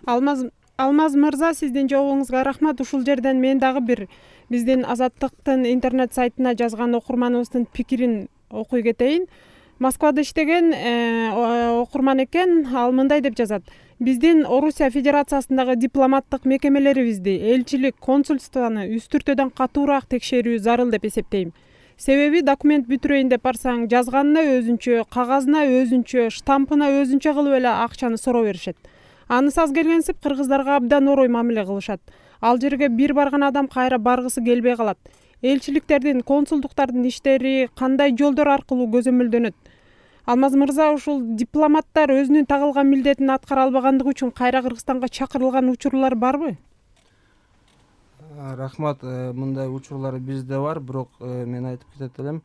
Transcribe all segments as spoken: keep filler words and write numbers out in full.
Алмаз Алмаз мырза, сиздин жообуңузга рахмат. Ушул жерден мен дагы бир биздин Азаттыктын интернет сайтына жазган окурманыбыздын пикирин окуй кетейин. Москвада иштеген окурман экен, ал мындай деп жазат: биздин Орусия Федерациясындагы дипломаттык мекемелерибизди, элчилик, консульствону үстүртөдөн катуураак текшерүү зарыл деп эсептейм. Себеби документ бүтүрөйүн деп барсаң, жазганына өзүнчө, кагазына өзүнчө, штампына өзүнчө кылып эле акчаны суроо беришет. Анысы аз келгенсип кыргыздарга абдан орой мамиле кылышат. Ал жерге бир барган адам кайра баргысы келбей калат. Элчиликтердин, консулдуктардын иштери кандай жолдор аркылуу көзөмөлдөнөт? Алмаз мырза, ушул дипломаттар өзүнүн тагылган милдетин аткара албагандыгы үчүн кайра Кыргызстанга чакырылган учурлар барбы? Рахмат. Мындай учурлар бизде бар, бирок мен айтып кетет элем,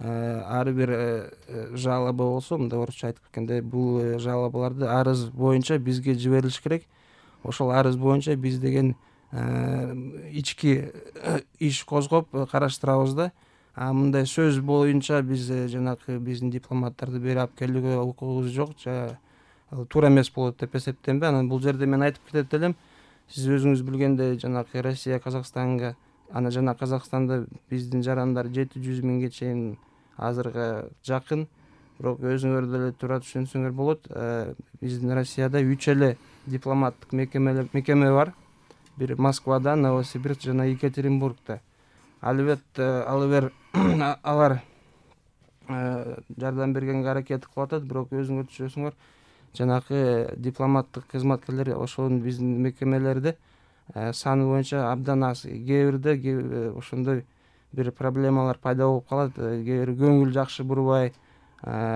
ар бир жалоба болсо, мындай орусча айтып кеткенде, бул жалобаларды арыз боюнча бизге жиберилиш керек. Ошол арыз боюнча биз деген ички иш козгоп караштырабыз да. А мындай сөз боюнча биз жанагы биздин дипломаттарды бери алып келүүгө укугубуз жок, туура эмес болот деп эсептейм да. Анан бул жерде мен айтып кетет элем, сиз өзүңүз билгендей, жанагы Россия Казакстанга, ана жана Казакстанда биздин жарандар жети жүз миңге чейин азырга жакын. Бирок өзүңөр деле туура түшүнсөңөр болот, биздин Россияда үч эле дипломаттык мекеме бар. Бир Москвада, Новосибирск жана Екатеринбургда. Албетте алар алар жардам бергенге аракет кылып атат, бирок өзүңөр түшүнөсүңөр, жанагы дипломаттык кызматкерлер ошол биздин мекемелерде саны боюнча абдан аз. Кээ бирде ошондой бир проблемалар пайда болуп калат, кээ бир көңүл жакшы бурбай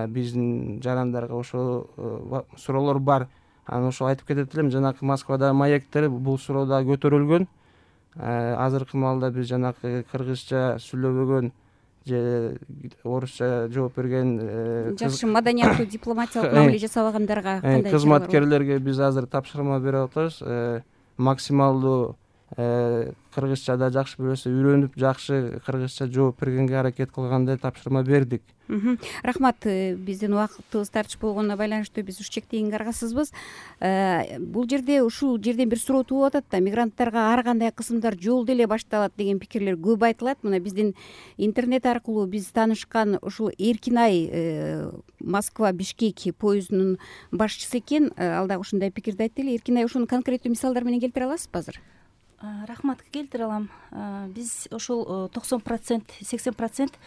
биздин жарандарга ошол суроолор бар. Анан ошо айтып кетет элем, жанагы Москвада маектер бул суроо да көтөрүлгөн. Азыркы маалда биз жанагы кыргызча сүйлөбөгөн же орусча жооп берген жакшы маданияттуу дипломатиялык мамиле жасабагандарга кандай кызматкерлерге биз азыр тапшырма берип атабыз. Максималдуу кыргызчада жакшы билсе, үйрөнүп жакшы кыргызча жооп бергенге аракет кылгандай тапшырма бердик. Рахмат. Биздин убактыбыз тартыш болгонуна байланыштуу биз уш чектегенге аргасызбыз. Бул жерде ушул жерден бир суроо туулуп атат да, мигранттарга ар кандай кысымдар жол деле башталат деген пикирлер көп айтылат. Мына биздин интернет аркылуу биз таанышкан ушул Эркинай Москва Бишкек поездунун башчысы экен. Ал дагы ушундай пикирди айтты эле. Эркинай, ушуну конкреттүү мисалдар менен келтире аласызбы азыр? Рахмат, келтире алам. Биз ошол токсон процент, сексен процент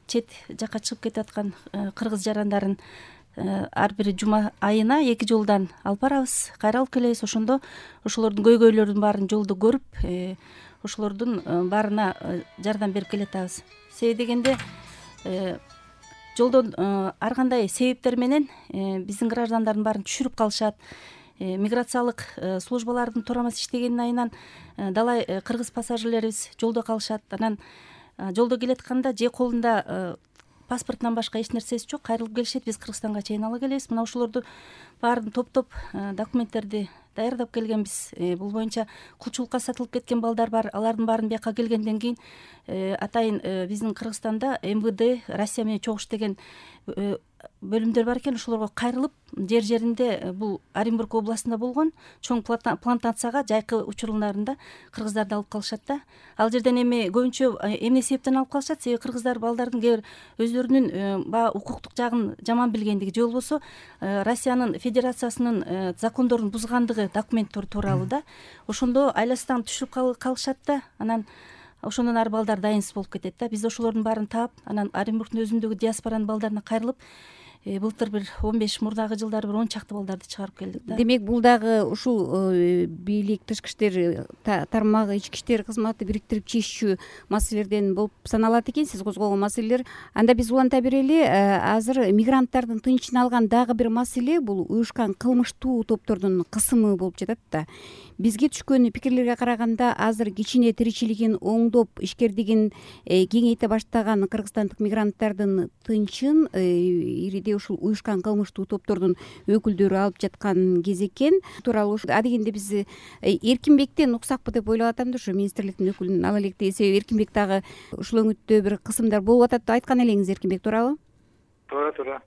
чет жакка чыгып кетип аткан кыргыз жарандарын ар бир жума айына эки жолдан алып барабыз, кайра алып келебиз. Ошондо ошолордун көйгөйлөрүнүн баарын жолдо көрүп, ошолордун баарына жардам берип келатабыз. Себеби дегенде жолдон ар кандай себептер менен биздин граждандардын баарын түшүрүп калышат. Миграциялык службалардын туура эмес иштегенин айынан далай кыргыз пассажирлерибиз жолдо калышат. Анан жолдо келатканда же колунда паспортунан башка эч нерсеси жок, кайрылып келишет. Биз Кыргызстанга чейин ала келебиз. Мына ошолорду баарын топтоп документтерди даярдап келгенбиз. Бул боюнча кулчулукка сатылып кеткен балдар бар. Алардын баарын бияка келгенден кийин атайын биздин Кыргызстанда эм вэ дэ, Россия менен чогуш деген бөлүмдөр бар экен. Ошолорго кайрылып, жер жеринде, бул Оренбург областында болгон чоң плантацияга жайкы учурларында кыргыздарды алып калышат да. Ал жерден эми көбүнчө эмне себептен алып калышат? Себеби кыргыздар балдардын кээ бир өзлөрүнүн баягы укуктук жагын жаман билгендиги же болбосо Россиянын Федерациясынын закондорун бузгандыгы документтер тууралуу да. Ошондо айласынан түшүрүп калышат да. Анан ошондон ары балдар дайынсыз болуп кетет да. Биз ошолордун баарын таап, анан Оренбургдун өзүндөгү диаспоранын балдарына кайрылып, былтыр бир он беш, мурдагы жылдары бир он чакты балдарды чыгарып келдик да. Демек, бул дагы ушул бийлик, тышкы иштер тармагы, ички иштер кызматы бириктирип чечүү маселелерден болуп саналат экен, сиз козгогон маселелер. Анда биз уланта берели, азыр мигранттардын тынчын алган дагы бир маселе бул уюшкан кылмыштуу топтордун кысымы болуп жатат да. Бизге түшкөн пикирлерге караганда, азыр кичине тиричилигин оңдоп, ишкердигин кеңейте баштаган кыргызстандык мигранттардын тынчын ириде ушул уюшкан кылмыштуу топтордун өкүлдөрү алып жаткан кез экен. Тууралуу адегенде биз Эркинбектен уксакпы деп ойлоп атам да, ушу министрликтин өкүлүн ала элек деген себеби Эркинбек дагы ушул өңүттө бир кысымдар болуп атат деп айткан элеңиз, Эркинбек, туурабы? Туура, туура.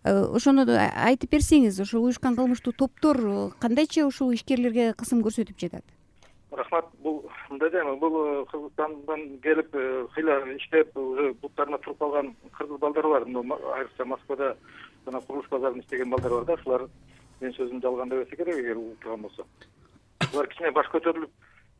ошону айтып берсеңиз, ошол уюшкан кылмыштуу топтор кандайча ушул ишкерлерге кысым көрсөтүп жатат? Рахмат. Бул мындай дейм, бул Кыргызстандан келип кыйла иштеп уже буттарына туруп калган кыргыз балдар бар. Айрыкча Москвада жана курулуш базарында иштеген балдар бар да. Шулар менин сөзүмдү алганда эбесе керек, эгер утурган болсо. Булар кичине баш көтөрүлүп,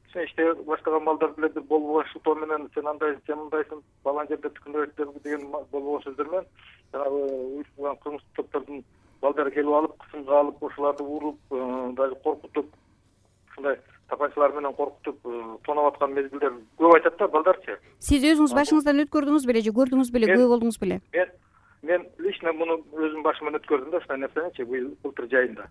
кичине иштей баштаган балдар деле бир болбогон шылтоо менен сен андай, сен мындайсың, балан жерде түкүнөбөттөр деген болбогон сөздөр менен жанагы уюштурулган кылмыштык топтордун балдары келип алып, кысымга алып, ошоларды уруп, даже коркутуп, ушундай тапанчалар менен коркутуп тоноп аткан мезгилдер көп айтат да балдарчы. Сиз өзүңүз башыңыздан өткөрдүңүз беле же көрдүңүз беле, күбө болдуңуз беле? Мен мен лично муну өзүм башыман өткөрдүм да ушундай нерсеничи быйыл былтыр жайында.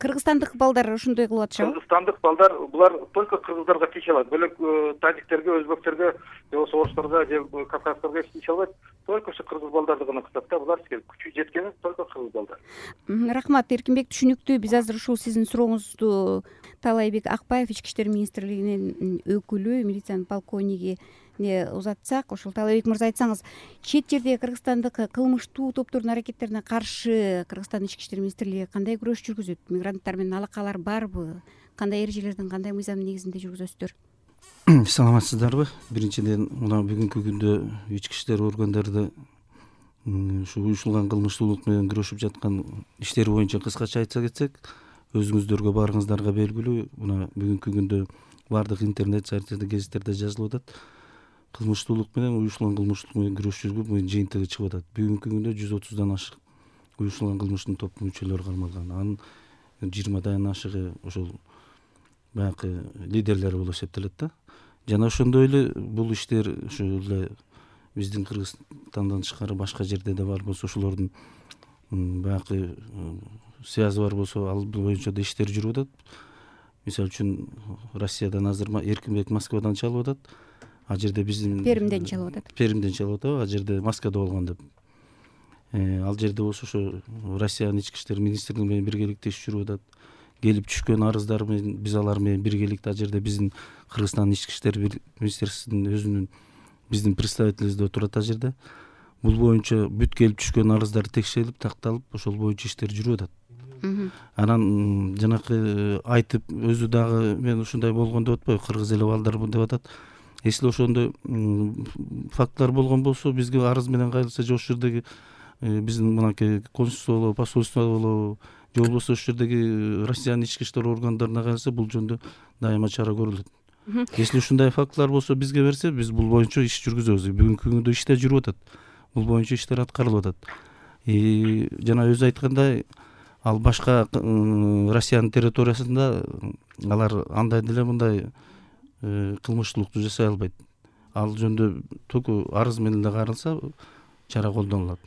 Кыргызстандык балдар ошондой кылып атышабы? Кыргызстандык балдар булар только кыргыздарга тийише алат. Бөлөк тажиктерге, өзбектерге, же болбосо орустарга, же кавказдарга тийише албайт. Только ушу кыргыз балдарды гана кытат да. Булар күчү жеткени только кыргыз балдар. Рахмат, Эркинбек, түшүнүктүү. Биз азыр ушул сиздин сурооңузду Таалайбек Акбаев, Ички иштер министрлигинин өкүлү, милициянын полковниги узатсак. Ошол Таалайбек мырза, айтсаңыз, чет жердеги кыргызстандык кылмыштуу топтордун аракеттерине каршы Кыргызстандын Ички иштер министрлиги кандай күрөш жүргүзөт? Мигранттар менен алакалар барбы? Кандай эрежелердин, кандай мыйзамдын негизинде жүргүзөсүздөр? Саламатсыздарбы? Биринчиден, мына бүгүнкү күндө ички иштер органдары ушу уюшулган кылмыштуулук менен күрөшүп жаткан иштер боюнча кыскача айтса кетсек, өзүңүздөргө баарыңыздарга белгилүү, мына бүгүнкү күндө баардык интернет сайтта, гезиттерде жазылып атат. Кылмыштуулук менен уюшулган кылмыштуулук менен күрөш жүргүзүү жыйынтыгы чыгып атат. Бүгүнкү күндө жүз отуздан ашык уюшулган кылмыштын топ мүчөлөрү кармалган. Анын жыйырмадан ашыгы ошол баягы лидерлери болуп эсептелет да. Жана ошондой эле бул иштер ушул эле биздин Кыргызстандан тышкары башка жерде да бар болсо, ошолордун баягы связы бар болсо, ал боюнча да иштер жүрүп атат. Мисалы үчүн Россиядан азыр Эркинбек Москвадан чалып атат. А жерде биздин Перимден чалып атат. Перимден чалып атат, а жерде Москвада болгон деп. Ал жерде болсо ошо Россиянын ички иштер министрлиги менен биргеликте иш жүрүп атат. Келип түшкөн арыздар менен биз алар менен биргеликте а жерде биздин Кыргызстандын ички иштер министрлигинин өзүнүн биздин представительибиз отурат а жерде. Бул боюнча бүт келип түшкөн арыздар текшерилип, такталып, ошол боюнча иштер жүрүп атат. Анан жанакы айтып өзү дагы мен ушундай болгон деп атпайбы, кыргыз эле балдар деп атат. Если ошондой фактылар болгон болсо, бизге арыз менен кайрылса, же ошол жердеги биздин мынакей консульство болобу, посольство болобу, же болбосо ошол жердеги Россиянын ички иштер органдарына кайрылса, бул жөнүндө дайыма чара көрүлөт. Если ушундай фактылар болсо бизге берсе, биз бул боюнча иш жүргүзөбүз. Бүгүнкү күндө иштер жүрүп атат. Бул боюнча иштер аткарылып атат. Жана өзү айткандай, ал башка Россиянын территориясында алар андай деле мындай кылмыштуулукту жасай албайт. Ал жөнүндө только арыз менен эле кайрылса, чара колдонулат.